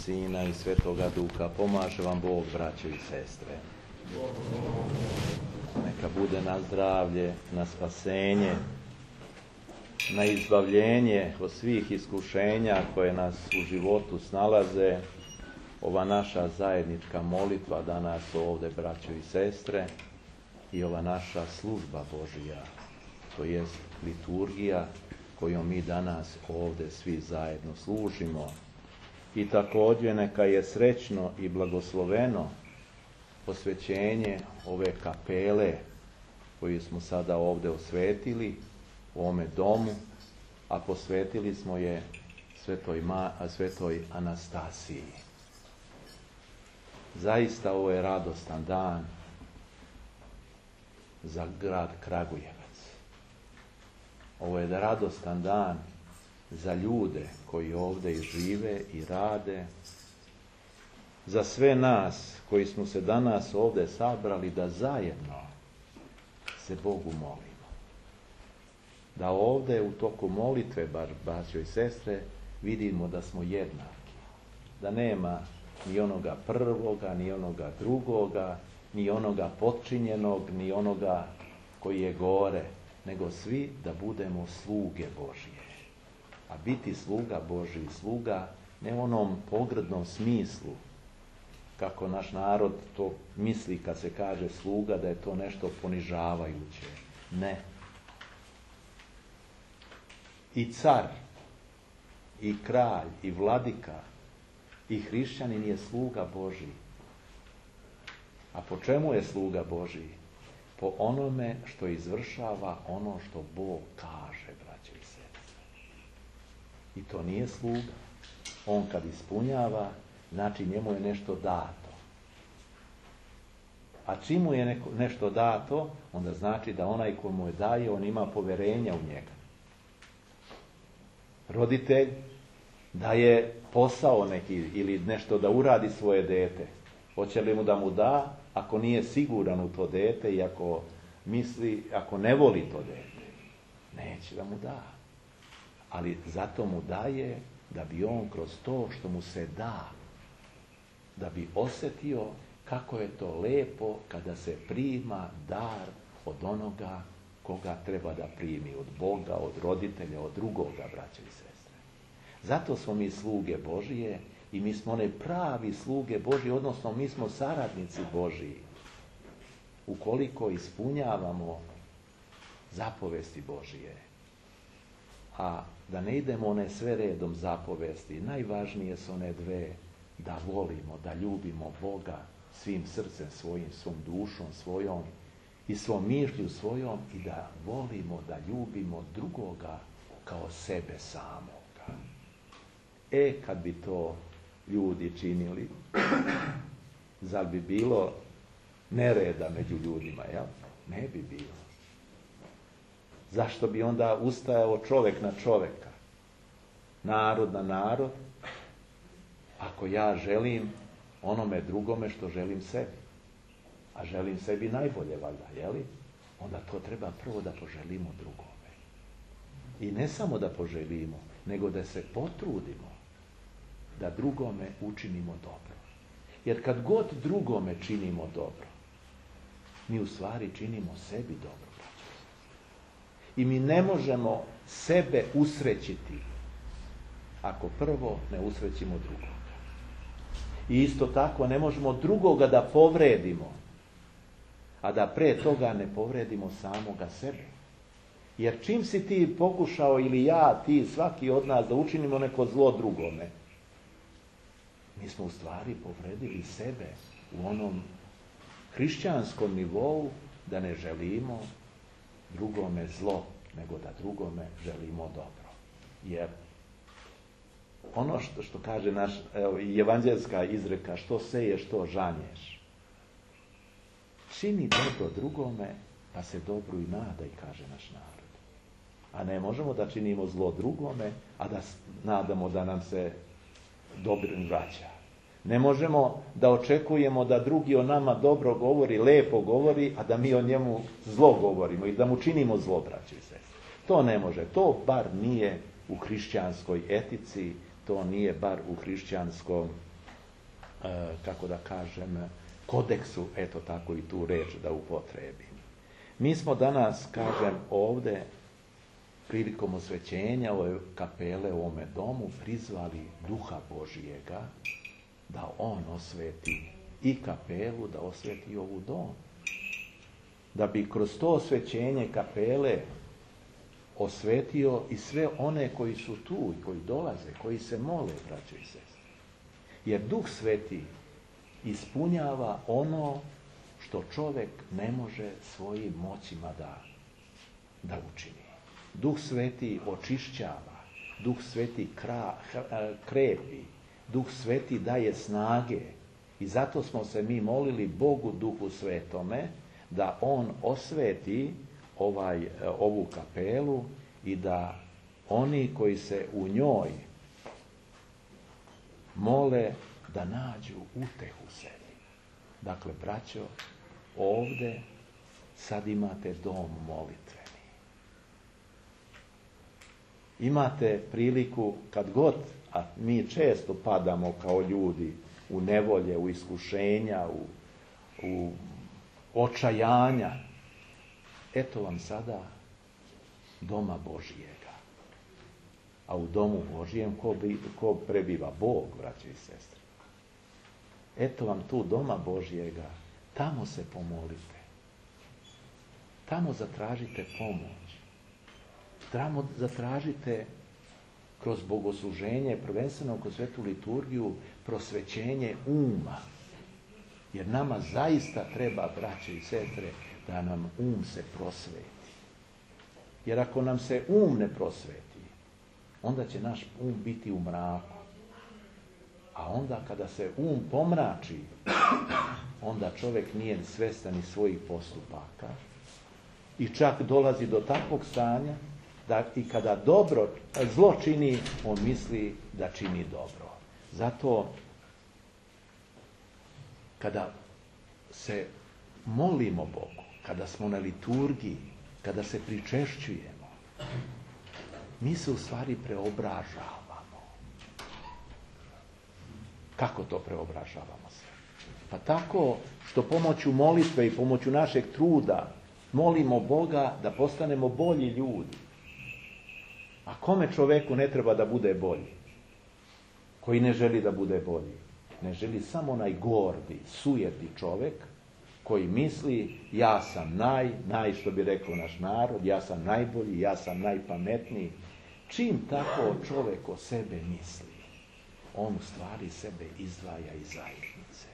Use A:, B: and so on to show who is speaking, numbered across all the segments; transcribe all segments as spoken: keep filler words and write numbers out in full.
A: Sina i Svetoga Duha. Pomaže vam Bog, braćo i sestre. Neka bude na zdravlje, na spasenje, na izbavljenje od svih iskušenja koje nas u životu snalaze, ova naša zajednička molitva danas ovdje, braćo i sestre, i ova naša služba Božija, to jest liturgija kojom mi danas ovdje svi zajedno služimo. I također neka je srećno i blagosloveno posvećenje ove kapele koju smo sada ovdje osvetili u ovome domu, a posvetili smo je svetoj, Ma, svetoj Anastasiji. Zaista ovo je radostan dan za grad Kragujevac. Ovo je radostan dan za ljude koji ovdje i žive i rade, za sve nas koji smo se danas ovdje sabrali da zajedno se Bogu molimo. Da ovdje u toku molitve, bar braćo i sestre, vidimo da smo jednaki. Da nema ni onoga prvoga, ni onoga drugoga, ni onoga potčinjenog, ni onoga koji je gore, nego svi da budemo sluge Božije. A biti sluga Božiji, sluga ne u onom pogrdnom smislu, kako naš narod to misli kad se kaže sluga, da je to nešto ponižavajuće. Ne. I car, i kralj, i vladika, i hrišćanin je sluga Božiji. A po čemu je sluga Božiji? Po onome što izvršava ono što Bog kaže, braće i sestre. I to nije sluga. On kad ispunjava, znači njemu je nešto dato. A čim mu je neko, nešto dato, onda znači da onaj ko mu je daje, on ima poverenja u njega. Roditelj daje posao neki ili nešto da uradi svoje dete. Hoće li mu da mu da, ako nije siguran u to dete i ako misli, ako ne voli to dete, neće da mu da. Ali zato mu daje da bi on kroz to što mu se da, da bi osjetio kako je to lepo kada se prima dar od onoga koga treba da primi, od Boga, od roditelja, od drugoga, braće i sestre. Zato smo mi sluge Božije i mi smo one pravi sluge Božije, odnosno mi smo saradnici Božiji. Ukoliko ispunjavamo zapovesti Božije. A da ne idemo one sve redom zapovesti, najvažnije su one dve, da volimo, da ljubimo Boga svim srcem svojim, svom dušom svojom i svom mišlju svojom i da volimo, da ljubimo drugoga kao sebe samoga. E, kad bi to ljudi činili, zar bi bilo nereda među ljudima, jel? Ne bi bilo. Zašto bi onda ustajao čovjek na čovjeka, narod na narod, ako ja želim onome drugome što želim sebi, a želim sebi najbolje, valjda, jeli? Onda to treba prvo da poželimo drugome. I ne samo da poželimo, nego da se potrudimo da drugome učinimo dobro. Jer kad god drugome činimo dobro, mi u stvari činimo sebi dobro. I mi ne možemo sebe usrećiti ako prvo ne usrećimo drugoga. I isto tako ne možemo drugoga da povredimo, a da pre toga ne povredimo samoga sebe. Jer čim si ti pokušao, ili ja, ti, svaki od nas, da učinimo neko zlo drugome, mi smo u stvari povredili sebe u onom hrišćanskom nivou da ne želimo drugome zlo, nego da drugome želimo dobro. Jer ono što, što kaže naš, evo, evanđelska izreka, što seješ, to žanješ. Čini dobro drugome, pa se dobro i nadaj, kaže naš narod. A ne možemo da činimo zlo drugome, a da nadamo da nam se dobro vraća. Ne možemo da očekujemo da drugi o nama dobro govori, lepo govori, a da mi o njemu zlo govorimo i da mu činimo zlo, braće i sestre. To ne može. To bar nije u hrišćanskoj etici, to nije bar u hrišćanskom kako da kažem, kodeksu, eto tako i tu reč da upotrebim. Mi smo danas, kažem, ovdje prilikom osvećenja ove kapele u ovome domu prizvali Duha Božijega da on osveti i kapelu, da osveti i ovu dom. Da bi kroz to osvećenje kapele osvetio i sve one koji su tu i koji dolaze, koji se mole, braćo i sestre. Jer Duh Sveti ispunjava ono što čovjek ne može svojim moćima da, da učini. Duh Sveti očišćava, Duh Sveti kra, krepi, Duh Sveti daje snage. I zato smo se mi molili Bogu Duhu Svetome da on osveti ovaj, ovu kapelu i da oni koji se u njoj mole da nađu utehu sebi. Dakle, braćo, ovdje sad imate dom molitveni. Imate priliku kad god, a mi često padamo kao ljudi u nevolje, u iskušenja, u, u očajanja. Eto vam sada doma Božijega. A u domu Božijem ko, bi, ko prebiva? Bog, braće i sestre. Eto vam tu doma Božijega. Tamo se pomolite. Tamo zatražite pomoć. Tamo zatražite kroz bogosluženje, prvenstveno kroz svetu liturgiju, prosvećenje uma. Jer nama zaista treba, braće i sestre, da nam um se prosveti. Jer ako nam se um ne prosveti, onda će naš um biti u mraku. A onda kada se um pomrači, onda čovjek nije svestan ni svojih postupaka i čak dolazi do takvog stanja da i kada dobro, zlo čini, on misli da čini dobro. Zato kada se molimo Bogu, kada smo na liturgiji, kada se pričešćujemo, mi se u stvari preobražavamo. Kako to preobražavamo se? Pa tako što pomoću molitve i pomoću našeg truda molimo Boga da postanemo bolji ljudi. A kome čoveku ne treba da bude bolji? Koji ne želi da bude bolji? Ne želi samo onaj gordi, sujeti čovjek koji misli ja sam naj, naj što bi rekao naš narod, ja sam najbolji, ja sam najpametniji. Čim tako čovjek o sebe misli, on u stvari sebe izdvaja iz zajednice.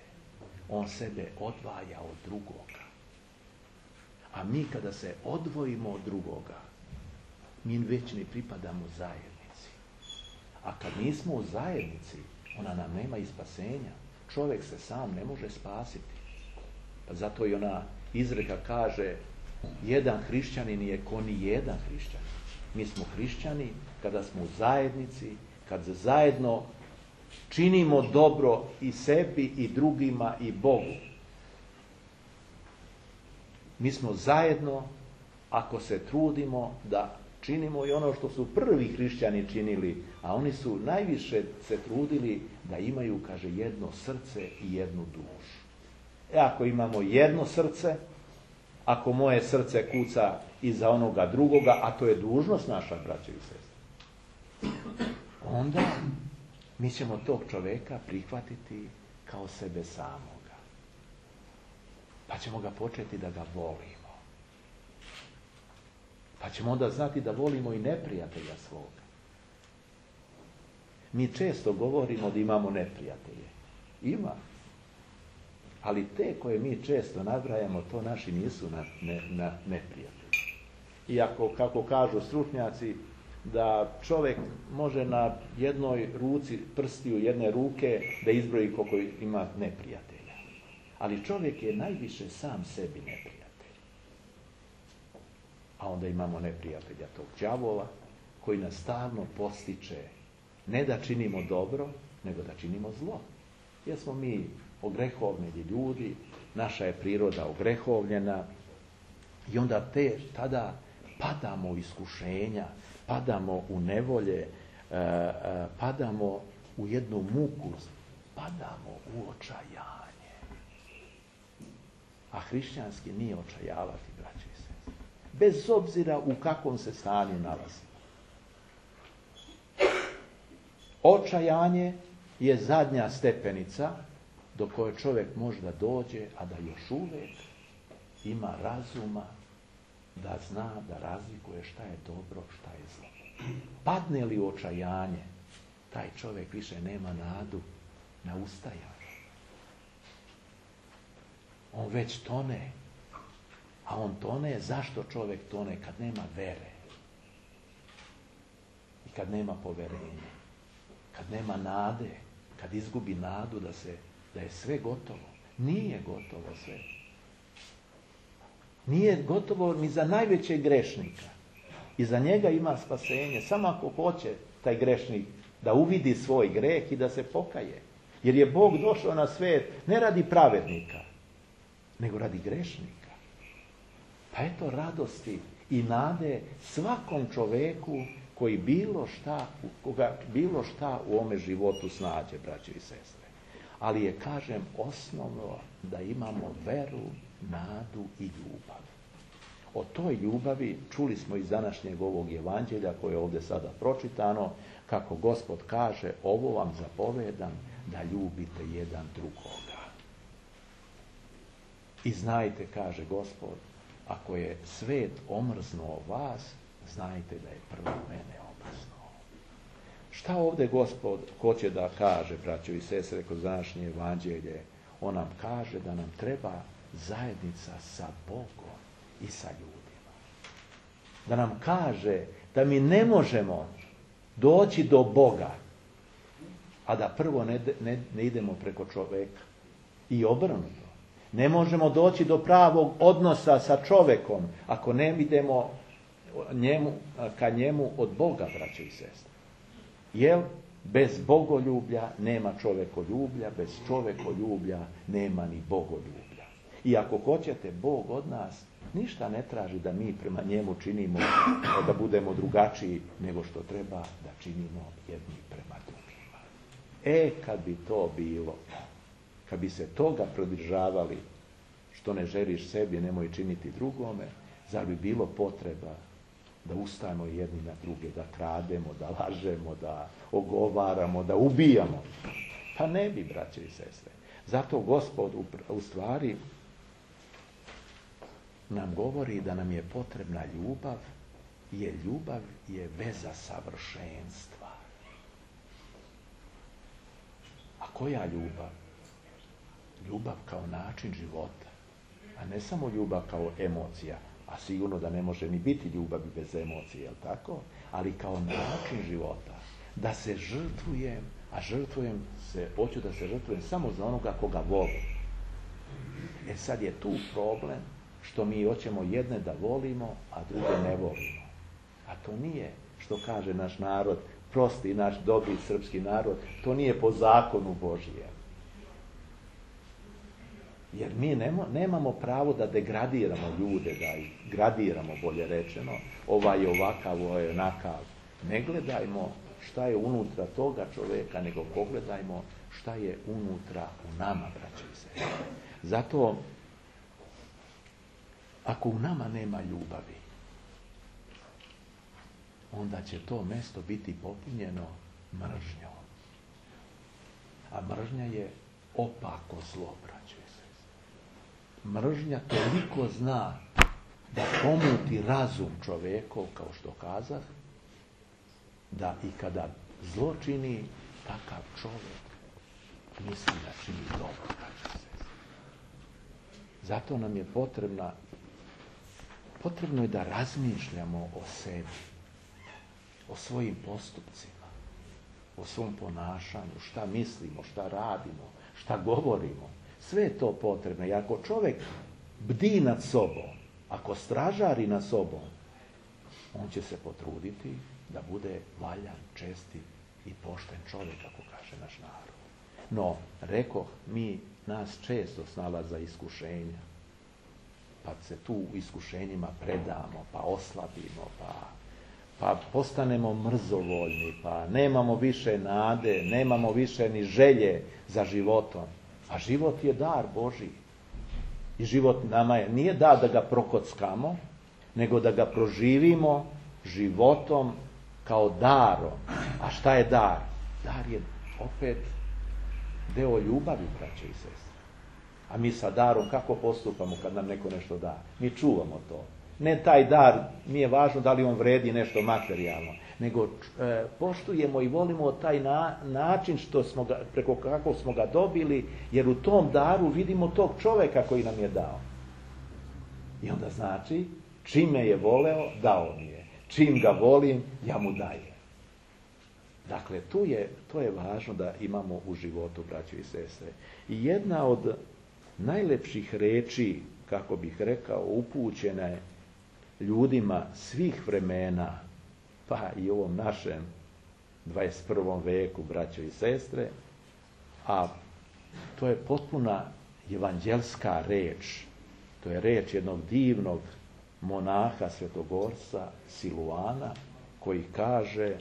A: On sebe odvaja od drugoga. A mi kada se odvojimo od drugoga, mi već ne pripadamo zajednici. A kad nismo u zajednici, ona nam nema i spasenja. Čovjek se sam ne može spasiti. Pa zato i ona izreka kaže, jedan hrišćanin je ko ni jedan hrišćanin. Mi smo hrišćani kada smo u zajednici, kad zajedno činimo dobro i sebi i drugima i Bogu. Mi smo zajedno ako se trudimo da činimo i ono što su prvi hrišćani činili, a oni su najviše se trudili da imaju, kaže, jedno srce i jednu dušu. E ako imamo jedno srce, ako moje srce kuca iza onoga drugoga, a to je dužnost naša, braće i sestre, onda mi ćemo tog čovjeka prihvatiti kao sebe samoga. Pa ćemo ga početi da ga volimo. Pa ćemo onda znati da volimo i neprijatelja svoga. Mi često govorimo da imamo neprijatelje. Ima. Ali te koje mi često nabrajamo, to naši nisu na, ne, na neprijatelji. Iako, kako kažu stručnjaci, da čovjek može na jednoj ruci, prstiju jedne ruke, da izbroji koliko ima neprijatelja. Ali čovjek je najviše sam sebi neprijatelj. A onda imamo neprijatelja tog đavola, koji nas stalno postiče ne da činimo dobro, nego da činimo zlo. Jer smo mi ogrehovljeni ljudi, naša je priroda ogrehovljena i onda te, tada padamo u iskušenja, padamo u nevolje, padamo u jednu muku, padamo u očajanje. A hrišćanski nije očajavati, braći i sestre. Bez obzira u kakvom se stanju nalazi. Očajanje je zadnja stepenica do koje čovjek može da dođe, a da još uvijek ima razuma da zna, da razlikuje šta je dobro, šta je zlo. Padne li u očajanje, taj čovjek više nema nadu na ustajanje. On već tone. A on tone, zašto čovjek tone? Kad nema vere. I kad nema poverenja. Kad nema nade. Kad izgubi nadu da, se, da je sve gotovo. Nije gotovo sve. Nije gotovo ni za najvećeg grešnika. I za njega ima spasenje. Samo ako hoće taj grešnik da uvidi svoj greh i da se pokaje. Jer je Bog došao na svijet ne radi pravednika, nego radi grešnika. Pa eto radosti i nade svakom čoveku koji bilo šta, koga bilo šta u ome životu snađe, braće i sestre. Ali je, kažem, osnovno da imamo veru, nadu i ljubav. O toj ljubavi čuli smo iz današnjeg ovog evanđelja koje je ovdje sada pročitano, kako Gospod kaže, ovo vam zapovedam da ljubite jedan drugoga. I znajte, kaže Gospod, ako je svet omrznuo vas, znajte da je prvo mene omrznuo. Šta ovdje Gospod hoće da kaže, braćo i sestre, kroz današnje evanđelje? On nam kaže da nam treba zajednica sa Bogom i sa ljudima. Da nam kaže da mi ne možemo doći do Boga, a da prvo ne, ne, ne idemo preko čoveka. I obrnuto. Ne možemo doći do pravog odnosa sa čovekom ako ne idemo njemu, ka njemu od Boga, braće i sestre. Jer bez bogoljublja nema čovekoljublja, bez čovekoljublja nema ni bogoljublja. I ako hoćete, Bog od nas ništa ne traži da mi prema njemu činimo, da budemo drugačiji nego što treba da činimo jedni prema drugima. E, kad bi to bilo, kad bi se toga pridržavali, što ne želiš sebi, nemoj činiti drugome, zar bi bilo potreba da ustajemo jedni na druge, da krademo, da lažemo, da ogovaramo, da ubijamo? Pa ne bi, braće i sestre. Zato Gospod u, u stvari nam govori da nam je potrebna ljubav, jer ljubav je veza savršenstva. A koja ljubav? Ljubav kao način života, a ne samo ljubav kao emocija, a sigurno da ne može ni biti ljubavi bez emocije, jel tako? Ali kao način života, da se žrtvujem, a žrtvujem se, hoću da se žrtvujem samo za onoga koga volim. E sad je tu problem što mi hoćemo jedne da volimo, a druge ne volimo. A to nije, što kaže naš narod, prosti naš dobri srpski narod, to nije po zakonu Božijem. Jer mi nemo, nemamo pravo da degradiramo ljude, da ih gradiramo, bolje rečeno, ovaj je ovakav, ovaj je onakav. Ne gledajmo šta je unutra toga čovjeka, nego pogledajmo šta je unutra u nama, braće i sestre. Zato, ako u nama nema ljubavi, onda će to mesto biti popunjeno mržnjom. A mržnja je opako zlo, braće i sestre. Mržnja toliko zna da pomuti razum čovjekov, kao što kazah, da i kada zlo čini, takav čovjek misli da čini dobro, braće i sestre. Zato nam je potrebna Potrebno je da razmišljamo o sebi, o svojim postupcima, o svom ponašanju, šta mislimo, šta radimo, šta govorimo. Sve je to potrebno. I ako čovjek bdi nad sobom, ako stražari nad sobom, on će se potruditi da bude valjan, čestit i pošten čovjek, kako kaže naš narod. No, rekoh, mi nas često snalaza iskušenja. Pa se tu u iskušenjima predamo, pa oslabimo, pa, pa postanemo mrzovoljni, pa nemamo više nade, nemamo više ni želje za životom. A život je dar Božji. I život nama je, nije dar da ga prokockamo, nego da ga proživimo životom kao darom. A šta je dar? Dar je opet deo ljubavi, braće i sestre. A mi sa darom kako postupamo kad nam neko nešto da? Mi čuvamo to. Ne taj dar, nije važno da li on vredi nešto materijalno, nego e, poštujemo i volimo taj na, način što smo ga, preko kako smo ga dobili, jer u tom daru vidimo tog čoveka koji nam je dao. I onda znači, čim me je voleo, dao mi je. Čim ga volim, ja mu dajem. Dakle, tu je, to je važno da imamo u životu, braćo i sestre. I jedna od najlepših reči, kako bih rekao, upućena je ljudima svih vremena, pa i u ovom našem dvadeset prvom veku, braćo i sestre, a to je potpuna evanđelska reč. To je reč jednog divnog monaha, svetogorca Siluana, koji kaže: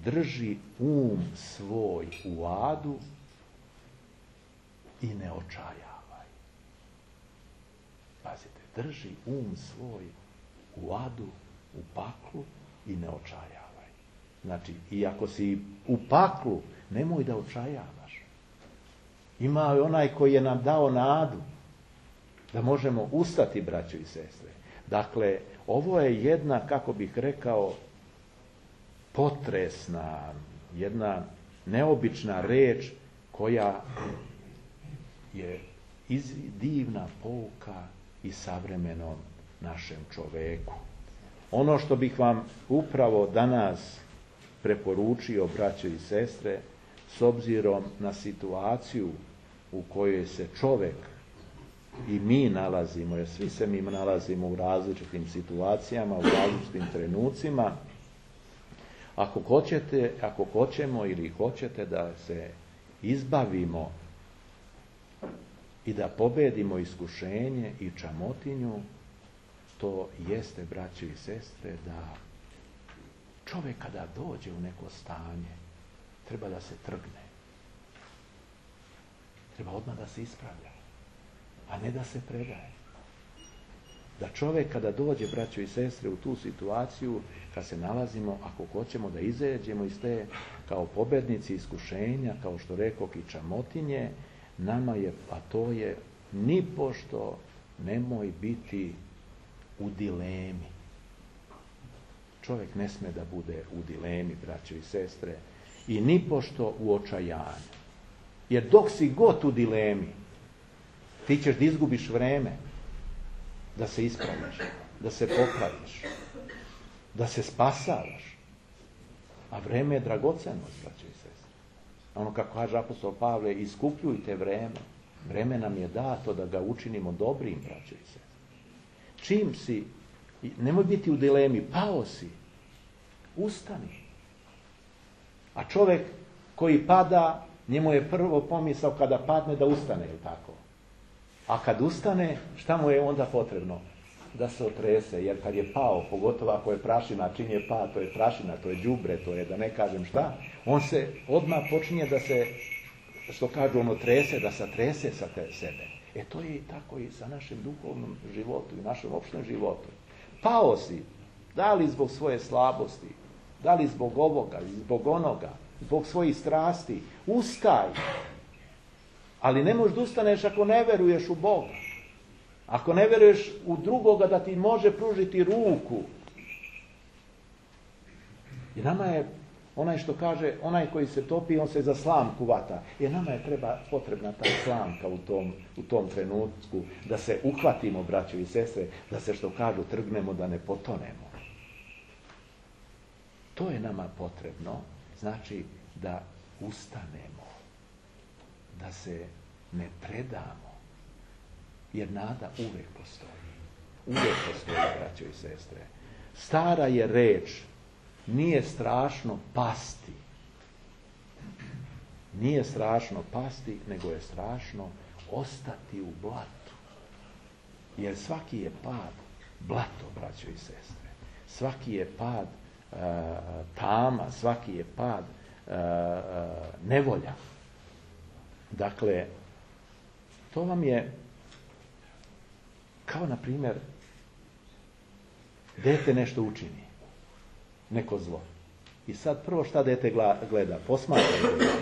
A: drži um svoj u adu i ne očajavaj. Pazite, drži um svoj u adu, u paklu i ne očajavaj. Znači, i ako si u paklu, nemoj da očajavaš. Ima i onaj koji je nam dao nadu da možemo ustati, braćo i sestre. Dakle, ovo je jedna, kako bih rekao, potresna, jedna neobična reč koja je iz, divna pouka i savremenom našem čoveku. Ono što bih vam upravo danas preporučio, braćo i sestre, s obzirom na situaciju u kojoj se čovek i mi nalazimo, jer svi se mi nalazimo u različitim situacijama, u različitim trenucima, ako hoćete, ako hoćemo ili hoćete da se izbavimo i da pobedimo iskušenje i čamotinju, to jeste, braće i sestre, da čovjek kada dođe u neko stanje, treba da se trgne. Treba odmah da se ispravlja, a ne da se predaje. Da čovjek kada dođe, braćo i sestre, u tu situaciju, kad se nalazimo, ako hoćemo da izađemo iz te kao pobednici iskušenja, kao što rekoh i čamotinje, nama je, a to je, nipošto nemoj biti u dilemi. Čovjek ne sme da bude u dilemi, braćo i sestre, i nipošto u očajanju. Jer dok si god u dilemi, ti ćeš da izgubiš vreme da se ispraviš, da se popraviš, da se spasavaš. A vreme je dragocenost, braćo i sestre. Ono kako kaže apostol Pavle, iskupljujte vreme. Vreme nam je dato da ga učinimo dobrim, braćo i sestre. Čim si, nemoj biti u dilemi, pao si, ustani. A čovjek koji pada, njemu je prvo pomisao kada padne da ustane, je tako? A kad ustane, šta mu je onda potrebno? Da se otrese, jer kad je pao, pogotovo ako je prašina, čim je pao, to je prašina, to je đubre, to je da ne kažem šta, on se odmah počinje da se, što kažu, ono trese, da se trese sa te sebe. E to je i tako i sa našim duhovnom životu i našem opštem životu. Pao si, da li zbog svoje slabosti, da li zbog ovoga, zbog onoga, zbog svojih strasti, ustaj. Ali ne možeš da ustaneš ako ne veruješ u Boga. Ako ne veruješ u drugoga da ti može pružiti ruku. I nama je, onaj što kaže, onaj koji se topi, on se za slamku vata. Jer nama je treba, potrebna ta slamka u tom, u tom trenutku, da se uhvatimo, braćo i sestre, da se, što kažu, trgnemo, da ne potonemo. To je nama potrebno, znači da ustanemo, da se ne predamo, jer nada uvek postoji. Uvek postoji, braćo i sestre. Stara je reč, nije strašno pasti. Nije strašno pasti, nego je strašno ostati u blatu. Jer svaki je pad blato, braćo i sestre. Svaki je pad tama, svaki je pad nevolja. Dakle, to vam je kao, na primjer, dete nešto učini, neko zlo. I sad prvo šta dete gleda? Posmatra gleda.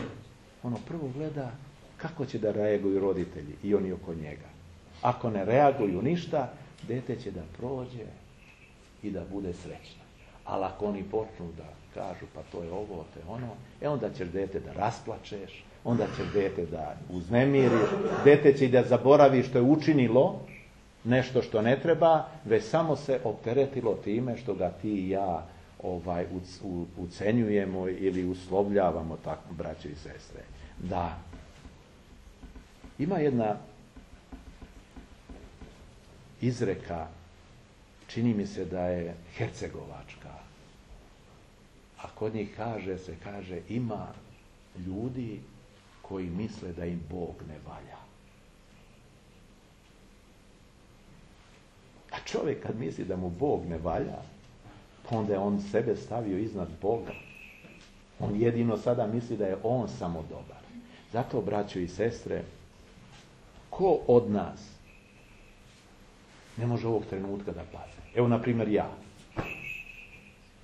A: Ono prvo gleda kako će da reaguju roditelji i oni oko njega. Ako ne reaguju ništa, dete će da prođe i da bude srećno. Ali ako oni počnu da kažu pa to je ovo, to je ono, e onda ćeš dete da rasplačeš, onda ćeš dete da uznemiriš, dete će i da zaboravi što je učinilo, nešto što ne treba, već samo se opteretilo time što ga ti i ja ovaj, ucenjujemo ili uslovljavamo, tako, braće i sestre. Da. Ima jedna izreka, čini mi se da je hercegovačka, a kod njih kaže se, kaže, ima ljudi koji misle da im Bog ne valja. A čovjek kad misli da mu Bog ne valja, pa onda je on sebe stavio iznad Boga. On jedino sada misli da je on samo dobar. Zato, braćo i sestre, ko od nas ne može ovog trenutka da padne? Evo, na primjer, ja.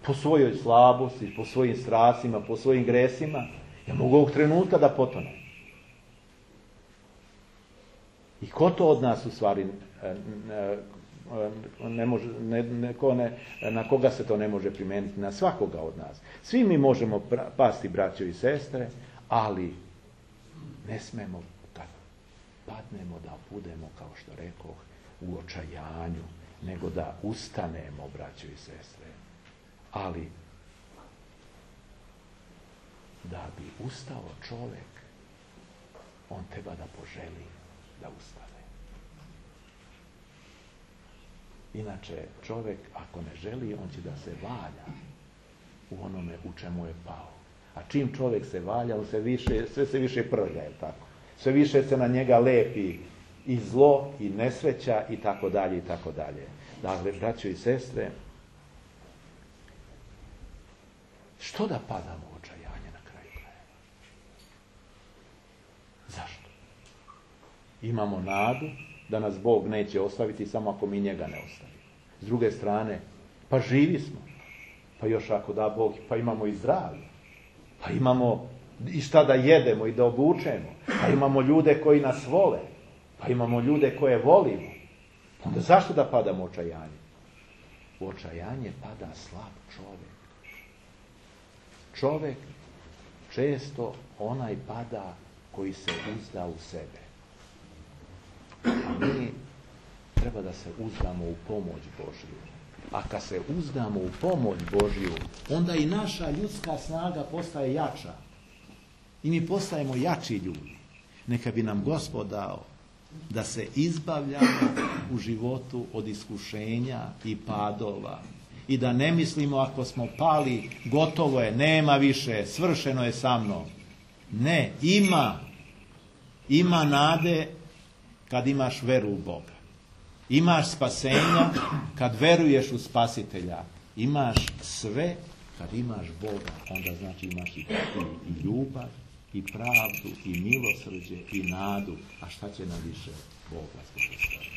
A: Po svojoj slabosti, po svojim strastima, po svojim gresima, ja mogu ovog trenutka da potonem. I ko to od nas u stvari ne može, ne, ne, ko ne, na koga se to ne može primijeniti? Na svakoga od nas. Svi mi možemo pasti, braćo i sestre, ali ne smemo kad padnemo da budemo, kao što rekoh, u očajanju, nego da ustanemo, braćo i sestre. Ali da bi ustao čovjek, on treba da poželi da ustane. Inače, čovjek ako ne želi, on će da se valja u onome u čemu je pao. A čim čovjek se valja, on se više, sve se više prlja, je tako? Sve više se na njega lepi i zlo, i nesreća, i tako dalje, i tako dalje. Dakle, braćo i sestre, što da padamo u očajanje na kraju krajeva? Zašto? Imamo nadu da nas Bog neće ostaviti samo ako mi njega ne ostavimo. S druge strane, pa živi smo. Pa još ako da Bog, pa imamo i zdravlje. Pa imamo i šta da jedemo i da obučemo. Pa imamo ljude koji nas vole. Pa imamo ljude koje volimo. Onda zašto da padamo u očajanje? U očajanje pada slab čovjek. Čovjek često onaj pada koji se uzda u sebe. A mi treba da se uzdamo u pomoć Božju. A kad se uzdamo u pomoć Božju, onda i naša ljudska snaga postaje jača. I mi postajemo jači ljudi. Neka bi nam Gospod dao da se izbavljamo u životu od iskušenja i padova. I da ne mislimo ako smo pali, gotovo je, nema više, svršeno je sa mnom. Ne, ima. Ima nade kad imaš veru u Boga. Imaš spasenja kad veruješ u Spasitelja. Imaš sve kad imaš Boga. Onda znači imaš i, i, i ljubav, i pravdu, i milosrđe, i nadu. A šta će nam više Boga sposobiti?